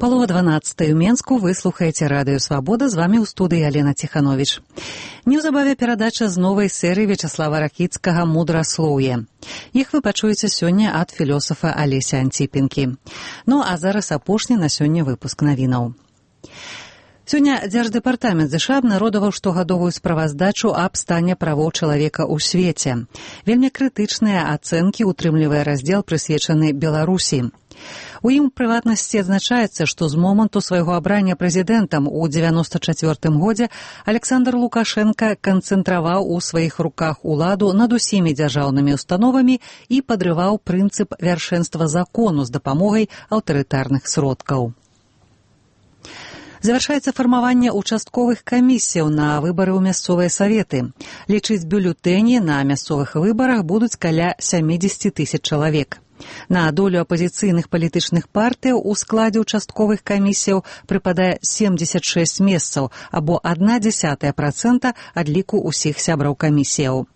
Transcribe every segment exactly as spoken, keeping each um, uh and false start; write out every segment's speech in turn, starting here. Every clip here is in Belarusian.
Палова дванадцатай у Менску, вы слухаеце радыё «Свабода», з вамі ў студыі Алена Ціхановіч. Неўзабаве перадача з новай серыі Вячаслава Ракіцкага «Мудраслоўе». Іх вы пачуеце сёння ад філёсафа Алеся Антіпінкі. Ну а зараз апошні на сёння выпуск навінаў. Сёння Дзярждэпартамент ЗША абнародаваў штогадовую справаздачу аб стане правоў чалавека ў свеце. Вельмі крытычныя ацэнкі утрымлівае раздзел, прысвечаны Беларусі. У ім, у прыватнасці, адзначаецца, што з моманту свайго абрання прэзідэнтам у дзевяноста чацвёртым годзе Александр Лукашенка канцэнтраваў у сваіх руках уладу над усімі дзяржаўнымі установамі і падрываў прынцып вяршэнства закону з дапамогай аўтарытарных сродкаў. Завяршаецца фармаванне участковых камісіяў на выбары ў мясцовыя саветы. Лічыць бюлетэні на мясцовых выбарах будуць каля сямдзесят тысяч чалавек. На долю апазіцыйных палітычных партыяў у складзе участковых камісіяў прыпадае семьдесят шесть месцаў, або адна дзесятая працэнта ад ліку ўсіх сябраў камісіяў.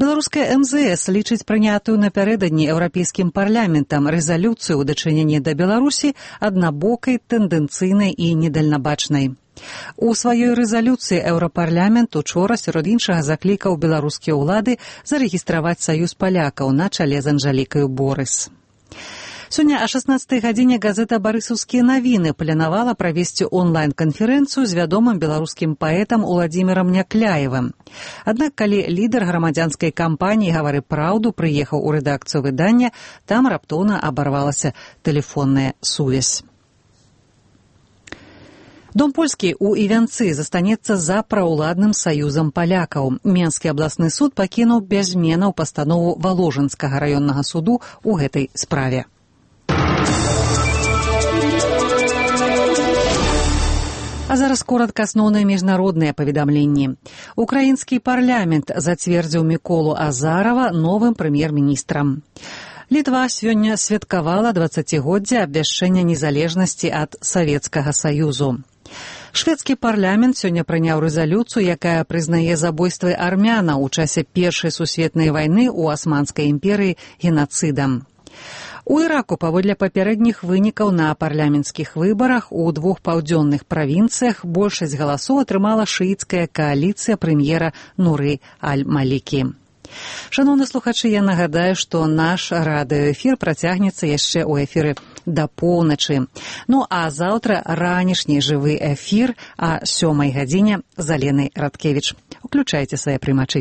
Беларуская эм зэ эс лічыць прынятую напярэдадні Еўрапейскім парламентам рэзалюцыю ў дачыненні да Беларусі аднабокай, тэндэнцыйнай і недальнабачнай. У сваёй рэзалюцыі Еўрапарламент учора сярод іншага заклікаў беларускія ўлады зарэгістраваць саюз палякаў на чале з Анжалікаю Борыс. Сёння о шаснаццатай гадзіне газета «Барысаўскія навіны» планавала правесці онлайн-канферэнцыю з вядомым беларускім паэтам Уладзімірам Някляевым. Аднак, калі лідар грамадзянскай кампаніі «Гавары праўду» прыехаў у рэдакцыю выдання, там раптоўна абарвалася тэлефонная сувязь. Дом польскі ў Івянцы застанецца за праўладным саюзам палякаў. Менскі абласны суд пакінуў без зменаў пастанову Валожынскага раённага суду ў гэтай справе. А зараз коротка асноўныя міжнародныя паведамленні. Украінскі парламент зацвердзіў Міколу Азарава новым прэм'ер-міністрам. Літва сёння святкавала дваццацігоддзе абвяшчэння незалежнасці ад Савецкага Саюзу. Шведскі парламент сёння прыняў рэзалюцыю, якая прызнае забойствы армянаў у часе Першай сусветнай вайны ў Асманскай імперыі генацыдам. У Іраку, паводле папярэдніх вынікаў на парламенцкіх выбарах у двух паўдзённых правінцыях большасць галасоў атрымала шыіцкая кааліцыя прэм'ера Нуры аль-Малікі. Шановны слухачы, я нагадаю, што наш радыёэфір працягнецца яшчэ ў эфіры да поўначы. Ну а заўтра ранішні жывы эфір о сёмай гадзіне з Аленай Радкевіч. Уключайце свае прымачы.